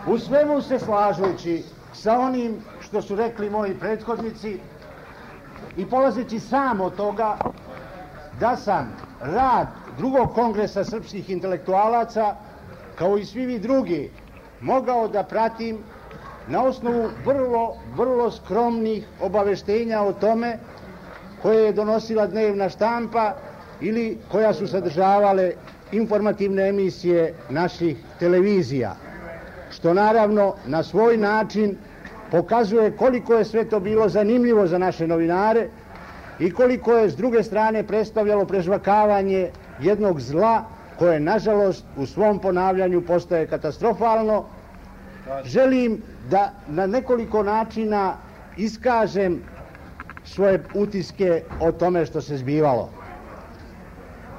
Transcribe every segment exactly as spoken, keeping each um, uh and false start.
U svemu se slažući sa onim što su rekli moji prethodnici i polazeći sam od toga da sam rad drugog kongresa srpskih intelektualaca, kao i svi vi drugi, mogao da pratim na osnovu vrlo, vrlo skromnih obaveštenja o tome koje je donosila dnevna štampa ili koja su sadržavale informativne emisije naših televizija, što naravno na svoj način pokazuje koliko je sve to bilo zanimljivo za naše novinare i koliko je s druge strane predstavljalo prežvakavanje jednog zla koje nažalost u svom ponavljanju postaje katastrofalno. Želim da na nekoliko načina iskažem svoje utiske o tome što se zbivalo.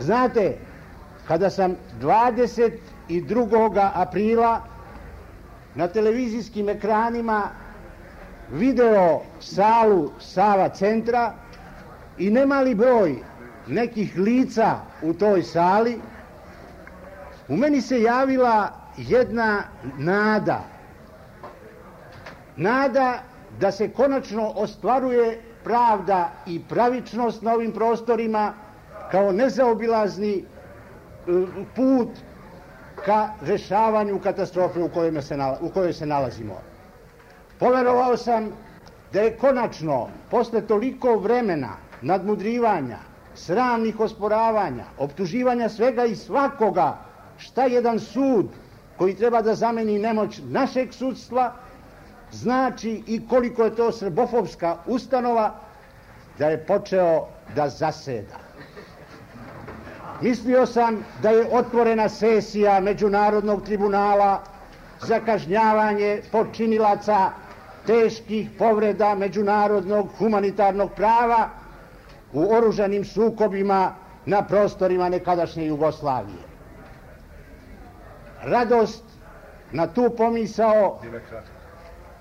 Znate, kada sam dvadeset drugog aprila na televizijskim ekranima video salu Sava centra i nemali broj nekih lica u toj sali, u meni se javila jedna nada. Nada da se konačno ostvaruje pravda i pravičnost na ovim prostorima kao nezaobilazni put ka rešavanju katastrofe u kojoj se, u kojoj se nalazimo. Poverovao sam da je konačno, posle toliko vremena nadmudrivanja, sramnih osporavanja, optuživanja svega i svakoga, šta jedan sud koji treba da zameni nemoć našeg sudstva znači i koliko je to srbofobska ustanova, da je počeo da zaseda. Mislio sam da je otvorena sesija Međunarodnog tribunala za kažnjavanje počinilaca teških povreda međunarodnog humanitarnog prava u oružanim sukobima na prostorima nekadašnje Jugoslavije. Radost na tu pomisao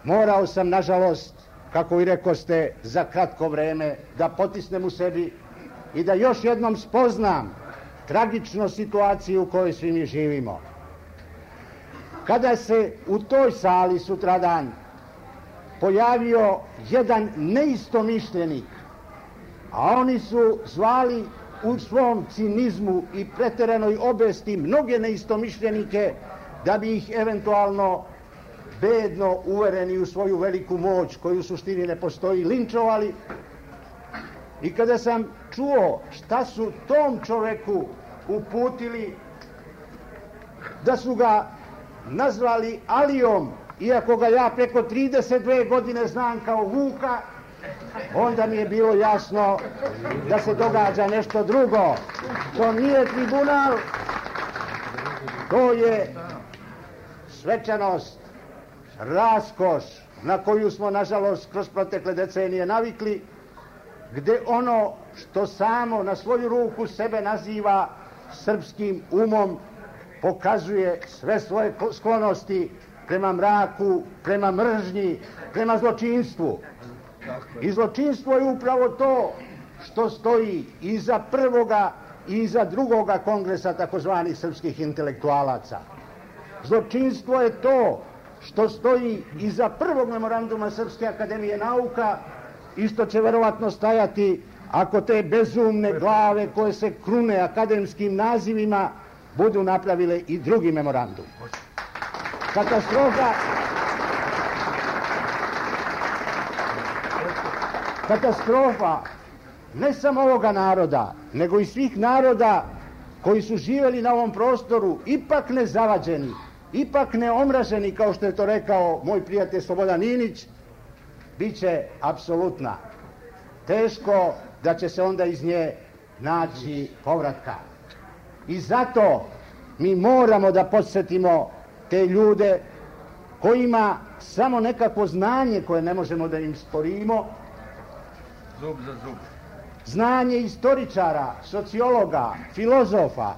morao sam, nažalost, kako i rekoste, za kratko vreme da potisnem u sebi i da još jednom spoznam tragičnu situaciju u kojoj svi mi živimo. Kada se u toj sali sutradan pojavio jedan neistomišljenik, a oni su zvali u svom cinizmu i preteranoj obesti mnoge neistomišljenike da bi ih eventualno bedno uvereni u svoju veliku moć koju u suštini ne postoji linčovali. I kada sam čuo šta su tom čoveku uputili, da su ga nazvali Alijom, iako ga ja preko trideset dve godine znam kao Vuka, onda mi je bilo jasno da se događa nešto drugo. To nije tribunal, to je svečanost, raskoš na koju smo, nažalost, kroz protekle decenije navikli, gde ono što samo na svoju ruku sebe naziva srpskim umom pokazuje sve svoje sklonosti prema mraku, prema mržnji, prema zločinstvu. I zločinstvo je upravo to što stoji iza prvoga i iza drugoga kongresa takozvanih srpskih intelektualaca. Zločinstvo je to što stoji iza prvog memoranduma Srpske akademije nauka i što će verovatno stajati ako te bezumne glave koje se krune akademskim nazivima budu napravile i drugi memorandum. Katastrofa katastrofa ne samo ovoga naroda, nego i svih naroda koji su živjeli na ovom prostoru, ipak ne zavađeni, ipak ne omraženi, kao što je to rekao moj prijatelj Slobodan Inić, bit će apsolutna. Teško da će se onda iz nje naći povratka. I zato mi moramo da podsjetimo te ljude kojima samo nekakvo znanje koje ne možemo da im sporimo, zub za zub, znanje istoričara, sociologa, filozofa,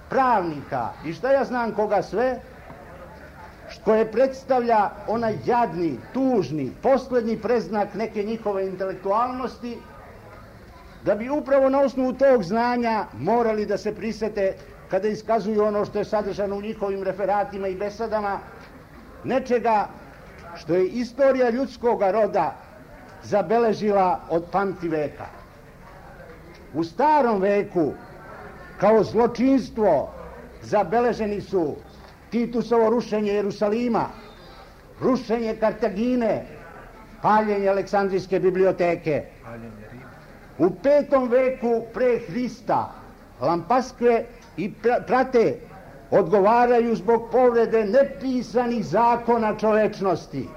pravnika i šta ja znam koga sve, koje predstavlja onaj jadni, tužni, posljednji preznak neke njihove intelektualnosti, da bi upravo na osnovu tog znanja morali da se prisete kada iskazuju ono što je sadržano u njihovim referatima i besedama, nečega što je istorija ljudskog roda zabeležila od pamtiveka. U starom veku kao zločinstvo zabeleženi su Titusovo rušenje Jerusalima, rušenje Kartagine, paljenje Aleksandrijske biblioteke. U petom veku pre Hrista Lampaskve i Prate odgovaraju zbog povrede nepisanih zakona čovečnosti.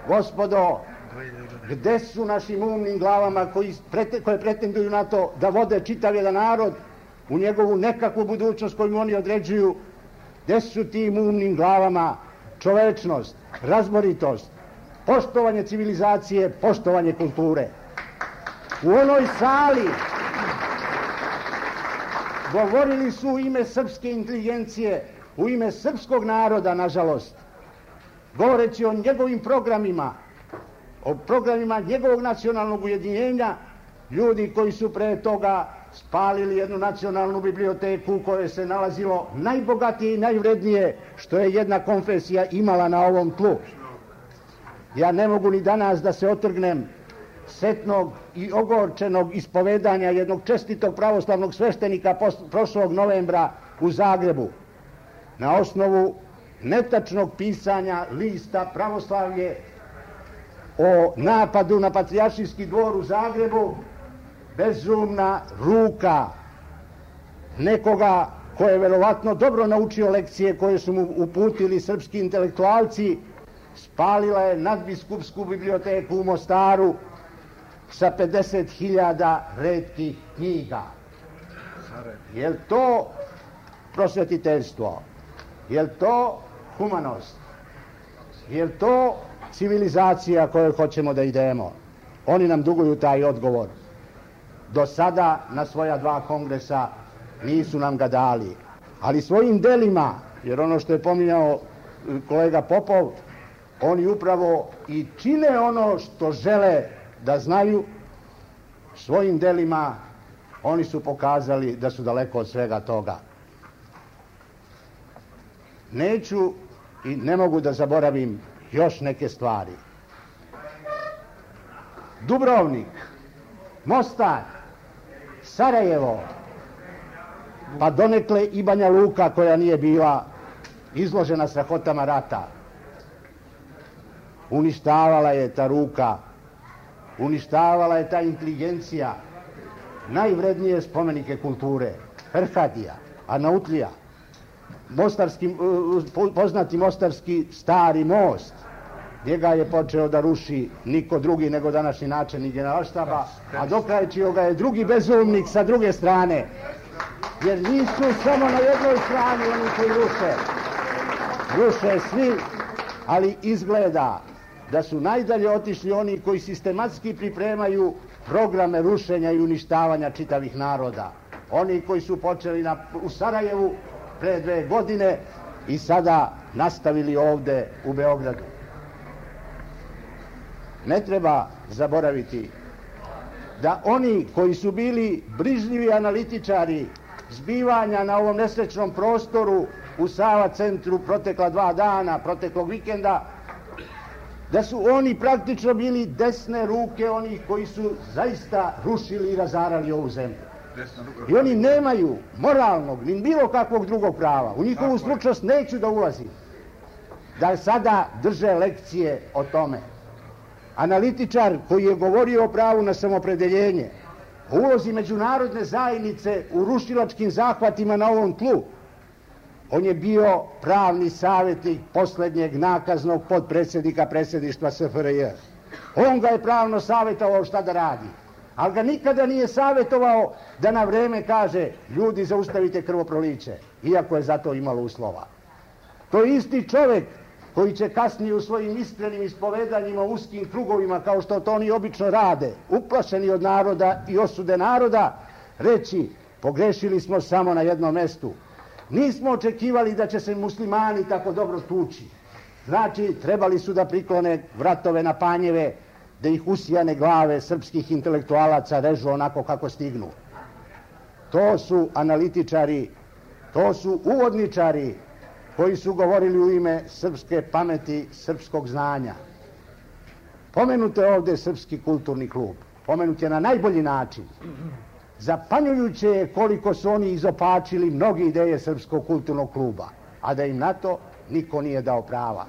Gospodo, gde su našim umnim glavama koji prete, koje pretenduju na to da vode čitav jedan narod u njegovu nekakvu budućnost koju oni određuju? Gde su tim umnim glavama čovečnost, razboritost, poštovanje civilizacije, poštovanje kulture? U onoj sali govorili su u ime srpske inteligencije, u ime srpskog naroda, nažalost, govoreći o njegovim programima, o programima njegovog nacionalnog ujedinjenja, ljudi koji su pre toga spalili jednu nacionalnu biblioteku u kojoj se nalazilo najbogatije i najvrednije što je jedna konfesija imala na ovom tlu. Ja ne mogu ni danas da se otrgnem setnog i ogorčenog ispovedanja jednog čestitog pravoslavnog sveštenika prošlog novembra u Zagrebu. Na osnovu netačnog pisanja lista Pravoslavlje o napadu na Patrijaršijski dvor u Zagrebu, bezumna ruka nekoga ko je verovatno dobro naučio lekcije koje su mu uputili srpski intelektualci, spalila je nadbiskupsku biblioteku u Mostaru sa pedeset hiljada retkih knjiga. Je li to prosvetiteljstvo? Je li to humanost? Je li to civilizacija kojoj hoćemo da idemo? Oni nam duguju taj odgovor. Do sada na svoja dva kongresa nisu nam ga dali, ali svojim delima, jer ono što je pominjao kolega Popov, oni upravo i čine ono što žele da znaju, svojim delima oni su pokazali da su daleko od svega toga. Neću i ne mogu da zaboravim još neke stvari. Dubrovnik, Mostar, Sarajevo, pa donekle i Banja Luka koja nije bila izložena strahotama rata. Uništavala je ta ruka, uništavala je ta inteligencija, najvrednije spomenike kulture, Ferhadija, Arnautlija, mostarski, poznati mostarski stari most, njega je počeo da ruši niko drugi nego današnji načelnik Generalštaba, a dokrajčio ga je drugi bezumnik sa druge strane, jer nisu samo na jednoj strani oni koji ruše, ruše svi, ali izgleda da su najdalje otišli oni koji sistematski pripremaju programe rušenja i uništavanja čitavih naroda. Oni koji su počeli na, u Sarajevu pre dve godine i sada nastavili ovde u Beogradu. Ne treba zaboraviti da oni koji su bili brižljivi analitičari zbivanja na ovom nesrećnom prostoru u Sava centru protekla dva dana, proteklog vikenda, da su oni praktično bili desne ruke onih koji su zaista rušili i razarali ovu zemlju. I oni nemaju moralnog ni bilo kakvog drugog prava. U njihovu stručnost neću da ulazim, da sada drže lekcije o tome. Analitičar koji je govorio o pravu na samopredeljenje, o ulozi međunarodne zajednice u rušilačkim zahvatima na ovom tlu, on je bio pravni savjetnik poslednjeg nakaznog podpredsjednika predsjedništva S F R J. On ga je pravno savjetovao šta da radi, ali ga nikada nije savjetovao da na vreme kaže ljudi zaustavite krvoproliće, iako je za to imalo uslova. To je isti čovjek koji će kasnije u svojim iskrenim ispovedanjima u uskim krugovima, kao što to oni obično rade, uplašeni od naroda i osude naroda, reći pogrešili smo samo na jednom mestu. Nismo očekivali da će se muslimani tako dobro tući. Znači, trebali su da priklone vratove na panjeve, da ih usijane glave srpskih intelektualaca režu onako kako stignu. To su analitičari, to su uvodničari koji su govorili u ime srpske pameti, srpskog znanja. Pomenut je ovdje Srpski kulturni klub. Pomenut je na najbolji način. Zapanjujuće je koliko su oni izopačili mnoge ideje Srpskog kulturnog kluba, a da im na to niko nije dao prava.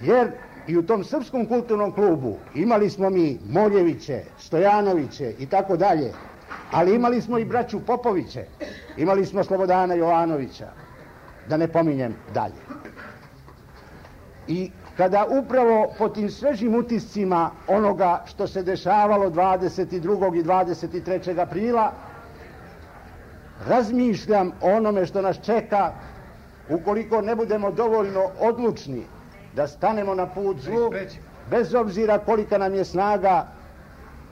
Jer i u tom Srpskom kulturnom klubu imali smo mi Moljeviće, Stojanoviće i tako dalje, ali imali smo i braću Popoviće, imali smo Slobodana Jovanovića, da ne pominjem dalje. I kada upravo po tim svežim utiscima onoga što se dešavalo dvadeset drugog i dvadeset trećeg aprila, razmišljam o onome što nas čeka ukoliko ne budemo dovoljno odlučni da stanemo na put zlu, bez obzira kolika nam je snaga,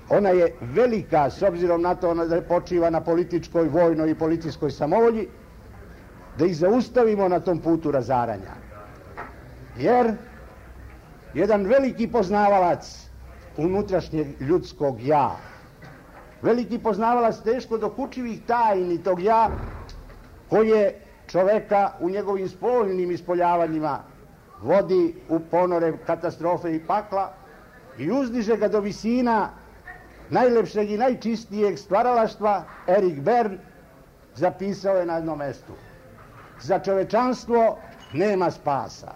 ona je velika s obzirom na to da počiva na političkoj, vojnoj i policijskoj samovolji, da ih zaustavimo na tom putu razaranja. Jer jedan veliki poznavalac unutrašnjeg ljudskog ja, veliki poznavalac teško dokučivih tajni tog ja, koje čoveka u njegovim spoljnim ispoljavanjima vodi u ponore katastrofe i pakla i uzdiže ga do visina najlepšeg i najčistijeg stvaralaštva, Erik Bern zapisao je na jednom mestu: za čovečanstvo nema spasa,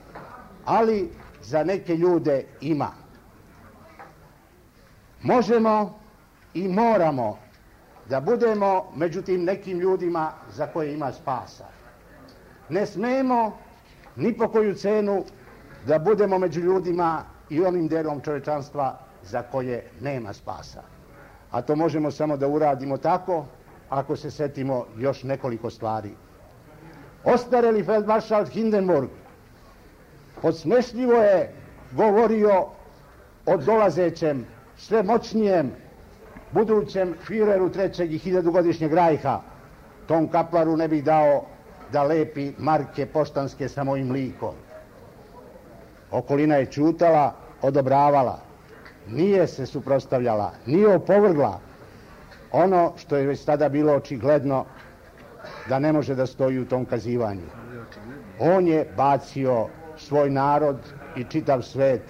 ali za neke ljude ima. Možemo i moramo da budemo među tim nekim ljudima za koje ima spasa. Ne smemo ni po koju cenu da budemo među ljudima i onim delom čovečanstva za koje nema spasa. A to možemo samo da uradimo tako ako se setimo još nekoliko stvari. Ostareli feldmaršal Hindenburg podsmešljivo je govorio o dolazećem, sve moćnijem, budućem Führeru trećeg i hiljadugodišnjeg rajha. Tom kaplaru ne bih dao da lepi marke poštanske sa mojim likom. Okolina je čutala, odobravala, nije se suprotstavljala, nije opovrgla ono što je već tada bilo očigledno da ne može da stoji u tom kazivanju. On je bacio svoj narod i čitav svet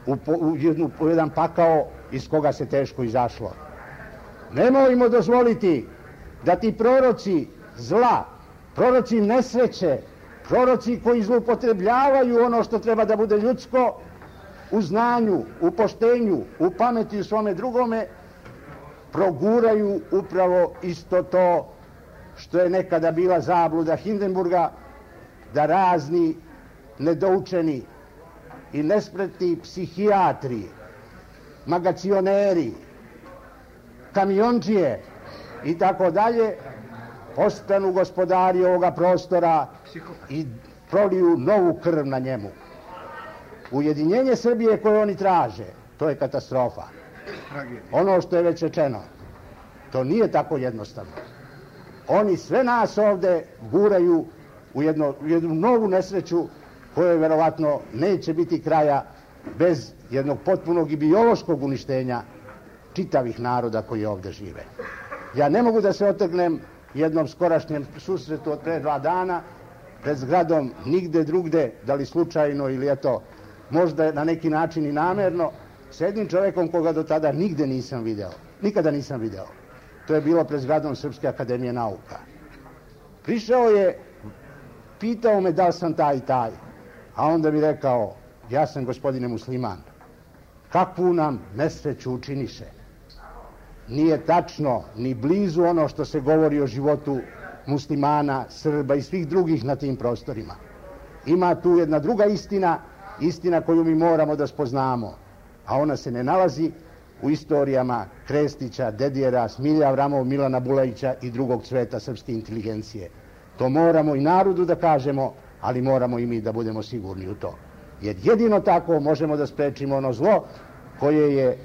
u, u, jednu, u jedan pakao iz koga se teško izašlo. Nemojmo dozvoliti da ti proroci zla, proroci nesreće, proroci koji zloupotrebljavaju ono što treba da bude ljudsko, u znanju, u poštenju, u pameti u svome drugome, proguraju upravo isto to što je nekada bila zabluda Hindenburga, da razni nedoučeni i nespretni psihijatri, magacioneri, kamionđije i tako dalje postanu gospodari ovoga prostora i proliju novu krv na njemu. Ujedinjenje Srbije koje oni traže, to je katastrofa. Ono što je već rečeno, to nije tako jednostavno. Oni sve nas ovde guraju u, jedno, u jednu novu nesreću kojoj verovatno neće biti kraja bez jednog potpunog i biološkog uništenja čitavih naroda koji ovde žive. Ja ne mogu da se otrgnem jednom skorašnjem susretu od pre dva dana pred zgradom nigde drugde, da li slučajno ili eto, možda na neki način i namerno, s jednim čovekom koga do tada nigde nisam video. Nikada nisam video. To je bilo pred zgradom Srpske akademije nauka. Prišao je, pitao me da li sam taj i taj, a onda bi rekao: ja sam gospodine musliman. Kakvu nam nesreću učiniše. Nije tačno ni blizu ono što se govori o životu muslimana, Srba i svih drugih na tim prostorima. Ima tu jedna druga istina, istina koju mi moramo da spoznamo, a ona se ne nalazi u istorijama Krestića, Dedijera, Smilja Avramov, Milana Bulajića i drugog cveta srpske inteligencije. To moramo i narodu da kažemo, ali moramo i mi da budemo sigurni u to. Jer jedino tako možemo da sprečimo ono zlo koje je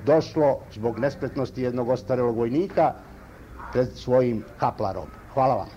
došlo zbog nespretnosti jednog ostarelog vojnika pred svojim kaplarom. Hvala vam.